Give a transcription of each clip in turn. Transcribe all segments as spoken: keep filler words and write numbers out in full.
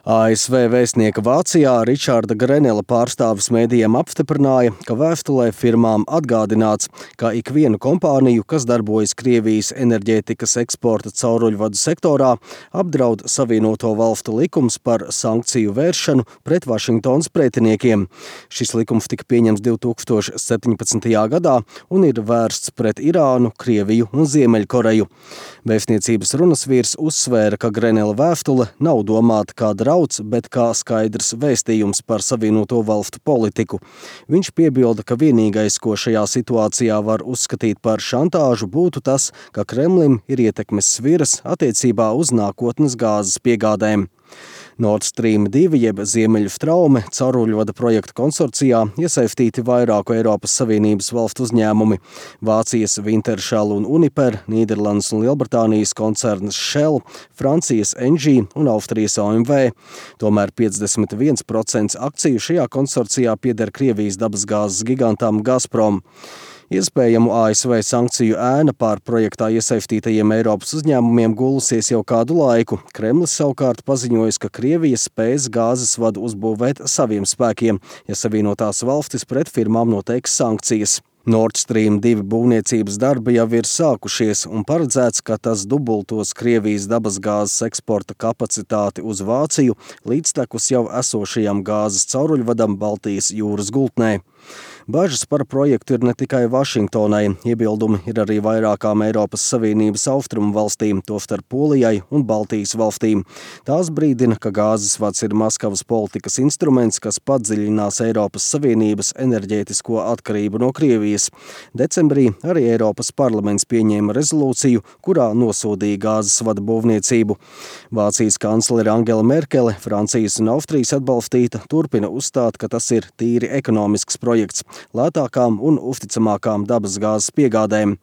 A S V vēstnieka Vācijā Ričarda Grenela pārstāvis mēdījiem apstiprināja, ka vēstulē firmām atgādināts, ka ikvienu kompāniju, kas darbojas Krievijas enerģētikas eksporta cauruļvadu sektorā, apdraud Savienoto Valstu likums par sankciju vēršanu pret Vašingtonas pretiniekiem. Šis likums tika pieņemts divi tūkstoši septiņpadsmitajā gadā un ir vērsts pret Irānu, Krieviju un Ziemeļkoreju. Vēstniecības runas vīrs uzsvēra, ka Grenela vēstule nav domāta kā drauds, bet kā skaidrs vēstījums par Savienoto Valstu politiku. Viņš piebilda, ka vienīgais, ko šajā situācijā var uzskatīt par šantāžu, būtu tas, ka Kremlim ir ietekmes sviras attiecībā uz nākotnes gāzes piegādēm. Nord Stream divi jeb Ziemeļu straume cauruļvada projekta konsorcijā iesaistīti vairāku Eiropas Savienības valstu uzņēmumi – Vācijas Wintershall un Uniper, Nīderlandes un Lielbritānijas koncerns Shell, Francijas Engie un Austrijas O M V. Tomēr piecdesmit viens procents akciju šajā konsorcijā pieder Krievijas dabasgāzes gigantam Gazprom. Iespējamu A S V sankciju ēna pār projektā iesaistītajiem Eiropas uzņēmumiem gulusies jau kādu laiku. Kremlis savukārt paziņojis, ka Krievija spēs gāzes vadu uzbūvēt saviem spēkiem, ja Savienotās valstis pret firmām noteiks sankcijas. Nord Stream divi būvniecības darbi jau ir sākušies un paredzēts, ka tas dubultos Krievijas dabasgāzes eksporta kapacitāti uz Vāciju līdztekus jau esošajam gāzes cauruļvadam Baltijas jūras gultnē. Bažas par projektu ir ne tikai Vašingtonai, iebildumi ir arī vairākām Eiropas Savienības austrumu valstīm, tostarp Polijai un Baltijas valstīm. Tās brīdina, ka gāzes vads ir Maskavas politikas instruments, kas padziļinās Eiropas Savienības enerģētisko atkarību no Krievijas. Decembrī arī Eiropas parlaments pieņēma rezolūciju, kurā nosodīja gāzes vada būvniecību. Vācijas kanclere Angela Merkele, Francijas un Austrijas atbalstīta, turpina uzstāt, ka tas ir tīri ekonomisks projekts, lētākām un uzticamākām dabasgāzes piegādēm.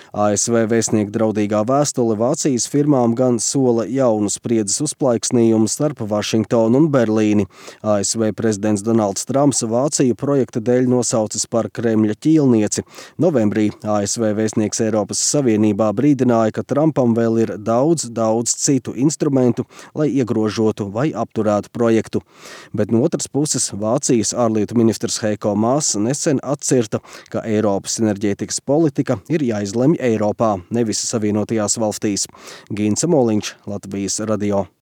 A S V vēstnieka draudīgā vēstule Vācijas firmām gan sola jaunu spriedzes uzplaiksnījumu starp Vašingtonu un Berlīni. A S V prezidents Donalds Trumps Vāciju projekta dēļ nosaucis par Kremļa ķīlnieci. Novembrī A S V vēstnieks Eiropas Savienībā brīdināja, ka Trumpam vēl ir daudz, daudz citu instrumentu, lai iegrožotu vai apturētu projektu. Bet no otras puses Vācijas ārlietu ministrs Heiko Maas nesen atcirta, ka Eiropas enerģētikas politika ir jāizlemj Eiropā, nevis Savienotajās valstīs. Gints Moliņš, Latvijas radio.